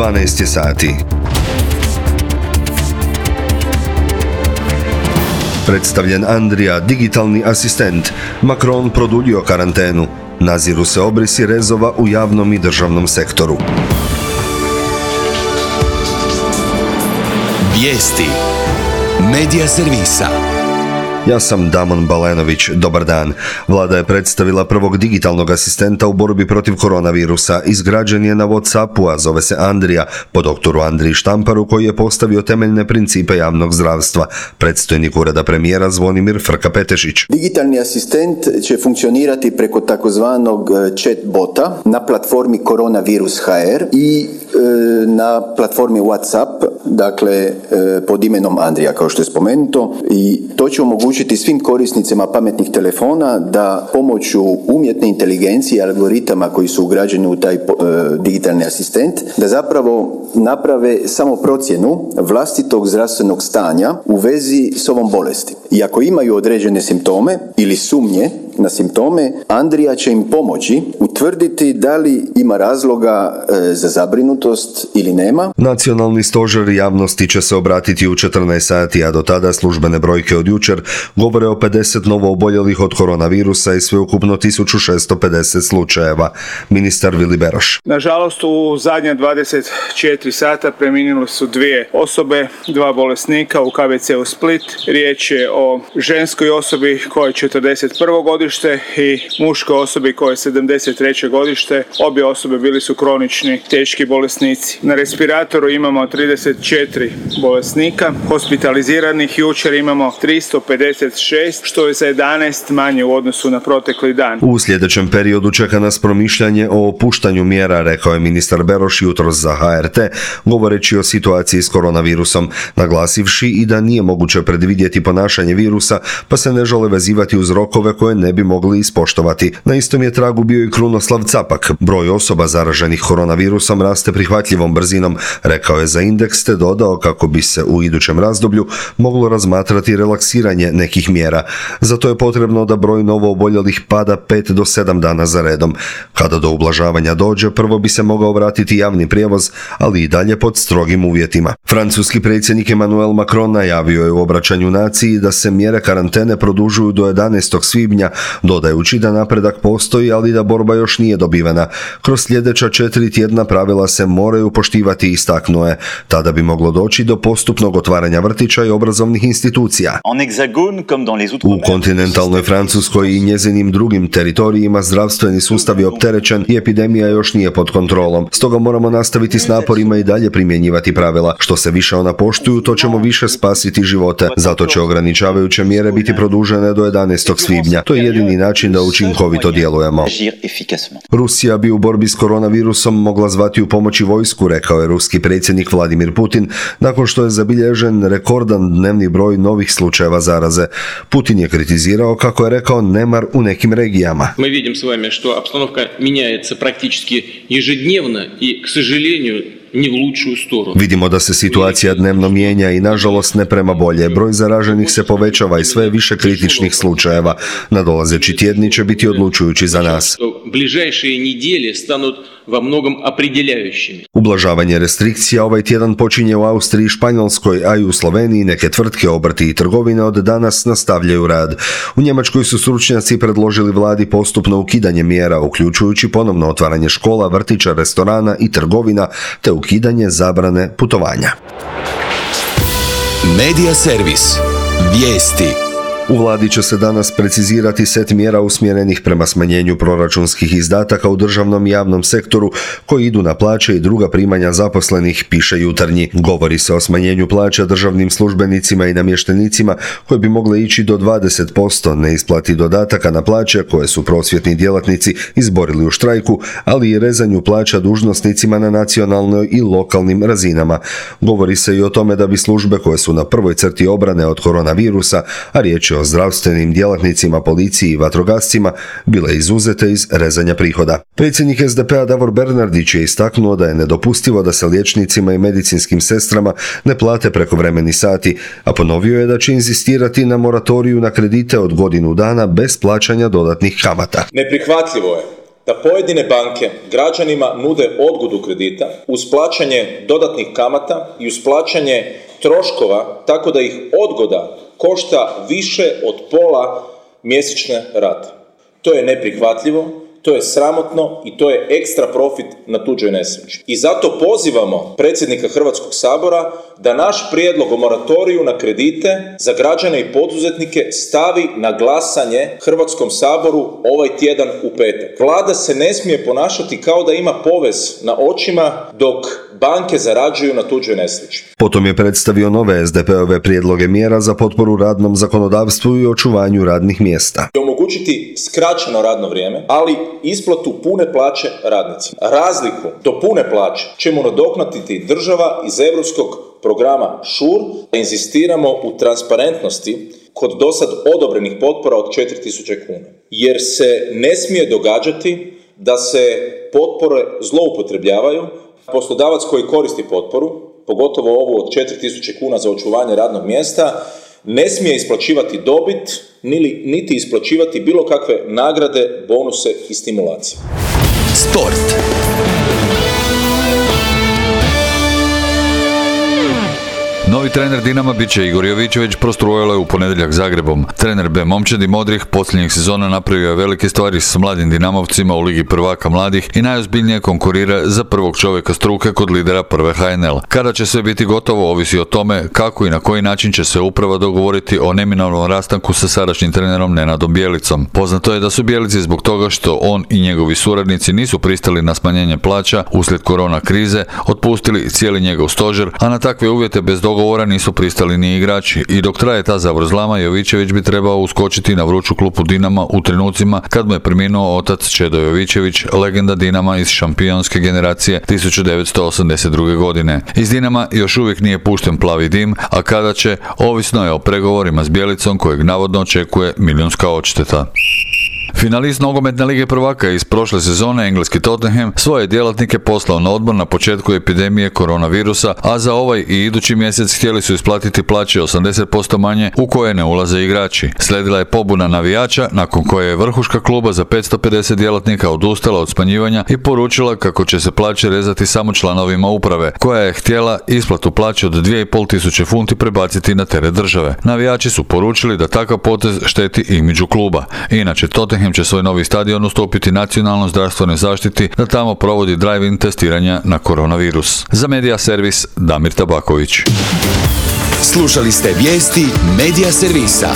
12 sati. Predstavljen Andrija, digitalni asistent. Macron produljio karantenu. Naziru se obrisi rezova u javnom i državnom sektoru. Vijesti Medija servisa. Ja sam Damon Balenović, dobar dan. Vlada je predstavila prvog digitalnog asistenta u borbi protiv koronavirusa. Izgrađen je na WhatsAppu, a zove se Andrija, po doktoru Andriji Štamparu, koji je postavio temeljne principe javnog zdravstva. Predstojnik ureda premijera Zvonimir Frka-Petešić. Digitalni asistent će funkcionirati preko takozvanog chat bota na platformi Koronavirus.hr i na platformi WhatsApp, dakle pod imenom Andrija, kao što je spomenuto, i to će omogućiti svim korisnicima pametnih telefona da pomoću umjetne inteligencije i algoritama koji su ugrađeni u taj digitalni asistent, da zapravo naprave samo procjenu vlastitog zdravstvenog stanja u vezi s ovom bolesti. I ako imaju određene simptome ili sumnje na simptome, Andrija će im pomoći utvrditi da li ima razloga za zabrinutost ili nema. Nacionalni stožer javnosti će se obratiti u 14 sati, a do tada službene brojke od jučer govore o 50 novo oboljelih od koronavirusa i sveukupno 1650 slučajeva. Ministar Vili Beroš. Nažalost, u zadnja 24 sata preminule su 2 osobe, 2 bolesnika u KBC-u Split. Riječ je o ženskoj osobi koja je 41. godište i muškoj osobi koja je 73. godište. Obje osobe bili su kronični teški bolesnici. Na respiratoru imamo 34 bolesnika, hospitaliziranih jučer imamo 356, što je za 11 manje u odnosu na protekli dan. U sljedećem periodu čeka nas promišljanje o opuštanju mjera, rekao je ministar Beroš jutros za HRT, govoreći o situaciji s koronavirusom, naglasivši i da nije moguće predvidjeti ponašanje virusa, pa se ne žele vezivati uz rokove koje ne bi mogli ispoštovati. Na istom je tragu bio i Krunoslav Capak. Broj osoba zaraženih koronavirusom raste prihvatljivom brzinom, rekao je za Indeks, te dodao kako bi se u idućem razdoblju moglo razmatrati relaksiranje nekih mjera. Zato je potrebno da broj novo oboljelih pada 5 do 7 dana za redom. Kada do ublažavanja dođe, prvo bi se mogao vratiti javni prijevoz, ali i dalje pod strogim uvjetima. Francuski predsjednik Emmanuel Macron najavio je u obraćanju naciji da se mjere karantene produžuju do 11. svibnja, dodajući da napredak postoji, ali da borba još nije dobivena. Kroz sljedeća 4 tjedna pravila se moraju poštivati, istaknuo je. Tada bi moglo doći do postupnog otvaranja vrtića i obrazovnih institucija. U kontinentalnoj Francuskoj i njezinim drugim teritorijima zdravstveni sustav je opterećen i epidemija još nije pod kontrolom. Stoga moramo nastaviti s naporima i dalje primjenjivati pravila. Što se više ona poštuju, to ćemo više spasiti živote. Zato će ograničavajuće mjere biti produžene do 11. svibnja. To je jedini način da učinkovito djelujemo. Rusija bi u borbi s koronavirusom mogla zvati u pomoć i vojsku, rekao je ruski predsjednik Vladimir Putin, nakon što je zabilježen rekordan dnevni broj novih slučajeva zaraze. Putin je kritizirao, kako je rekao, nemar u nekim regijama. Mi vidimo s vami što обстановка меняется практически ежедневно и, к сожалению, ni u lučiju stranu. Vidimo da se situacija dnevno mijenja i nažalost ne prema bolje. Broj zaraženih se povećava i sve više kritičnih slučajeva. Nadolazeći tjedni će biti odlučujući za nas. Bližajšije nedjelje stanut во многом определяющими. Ublažavanje restrikcija ovaj tjedan počinje u Austriji i Španjolskoj, a i u Sloveniji neke tvrtke, obrti i trgovine od danas nastavljaju rad. U Njemačkoj su stručnjaci predložili vladi postupno ukidanje mjera, uključujući ponovno otvaranje škola, vrtića, restorana i trgovina, te ukidanje zabrane putovanja. Medija servis. Vijesti. U vladi će se danas precizirati set mjera usmjerenih prema smanjenju proračunskih izdataka u državnom i javnom sektoru koji idu na plaće i druga primanja zaposlenih, piše Jutarnji. Govori se o smanjenju plaća državnim službenicima i namještenicima koje bi mogle ići do 20%, neisplati dodataka na plaće koje su prosvjetni djelatnici izborili u štrajku, ali i rezanju plaća dužnosnicima na nacionalnoj i lokalnim razinama. Govori se i o tome da bi službe koje su na prvoj crti obrane od koronavirusa, a riječ je o zdravstvenim djelatnicima, policiji i vatrogascima, bile izuzete iz rezanja prihoda. Predsjednik SDP-a Davor Bernardić je istaknuo da je nedopustivo da se liječnicima i medicinskim sestrama ne plate prekovremeni sati, a ponovio je da će inzistirati na moratoriju na kredite od godinu dana bez plaćanja dodatnih kamata. Neprihvatljivo je da pojedine banke građanima nude odgodu kredita uz plaćanje dodatnih kamata i uz plaćanje troškova tako da ih odgoda košta više od pola mjesečne rate. To je neprihvatljivo, to je sramotno i to je ekstra profit na tuđoj nesreći. I zato pozivamo predsjednika Hrvatskog sabora da naš prijedlog o moratoriju na kredite za građane i poduzetnike stavi na glasanje Hrvatskom saboru ovaj tjedan u petak. Vlada se ne smije ponašati kao da ima povez na očima dok banke zarađuju na tuđoj nesreći. Potom je predstavio nove SDP-ove prijedloge mjera za potporu radnom zakonodavstvu i očuvanju radnih mjesta. Omogućiti skraćeno radno vrijeme, ali isplatu pune plaće radnicima. Razliku do pune plaće ćemo nadoknaditi država iz europskog programa ŠUR. Inzistiramo u transparentnosti kod dosad odobrenih potpora od 4.000 kuna. Jer se ne smije događati da se potpore zloupotrebljavaju. Poslodavac koji koristi potporu, pogotovo ovu od 4.000 kuna za očuvanje radnog mjesta, ne smije isplaćivati dobit, niti isplaćivati bilo kakve nagrade, bonuse i stimulacije. Sport. Novi trener Dinama bit će Igor Jovičević, prostrujalo je u ponedjeljak Zagrebom. Trener B momčadi modrih posljednjih sezona napravio je velike stvari s mladim Dinamovcima u Ligi prvaka mladih i najozbiljnije konkurira za prvog čovjeka struke kod lidera prve HNL. Kada će sve biti gotovo ovisi o tome kako i na koji način će se uprava dogovoriti o neminovnom rastanku sa sadašnjim trenerom Nenadom Bjelicom. Poznato je da su Bjelici zbog toga što on i njegovi suradnici nisu pristali na smanjenje plaća uslijed korona krize otpustili cijeli njegov stožer, a na takve uvjete bez dogovora nisu pristali ni igrači i dok traje ta zavrzlama Jovičević bi trebao uskočiti na vruću klupu Dinama u trenucima kad mu je preminuo otac Čedo Jovičević, legenda Dinama iz šampionske generacije 1982. godine. Iz Dinama još uvijek nije pušten plavi dim, a kada će, ovisno je o pregovorima s Bjelicom kojeg navodno očekuje milijunska odšteta. Finalist nogometne lige prvaka iz prošle sezone, engleski Tottenham, svoje djelatnike poslao na odmor na početku epidemije koronavirusa, a za ovaj i idući mjesec htjeli su isplatiti plaće 80% manje u koje ne ulaze igrači. Slijedila je pobuna navijača, nakon koje je vrhuška kluba za 550 djelatnika odustala od smanjivanja i poručila kako će se plaće rezati samo članovima uprave, koja je htjela isplatu plaće od 2500 funti prebaciti na teret države. Navijači su poručili da takav potez šteti imidžu kluba. Inače, Tottenham će svoj novi stadion ustupiti nacionalnoj zdravstvenoj zaštiti da tamo provodi drive-in testiranja na koronavirus. Za Medija servis Damir Tabaković. Slušali ste vijesti Medija servisa.